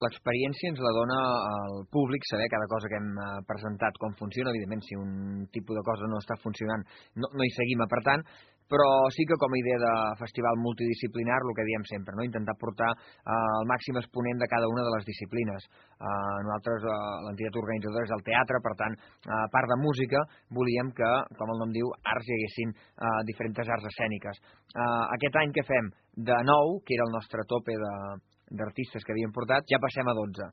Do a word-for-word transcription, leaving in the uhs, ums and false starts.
L'experiència ens la dona el públic, saber cada cosa que hem eh, presentat com funciona. Evidentment, si un tipus de cosa no està funcionant, no, no hi seguim apretant, però sí que com a idea de festival multidisciplinar, el que diem sempre, no? Intentar portar eh, el màxim exponent de cada una de les disciplines. Eh, nosaltres, eh, l'entitat organitzadora és el teatre, per tant, eh, a part de música, volíem que, com el nom diu, arts hi haguessin eh, diferents arts escèniques. Eh, aquest any que fem de nou, que era el nostre tope de d'artistes que havíem portat, ja passem a dotze.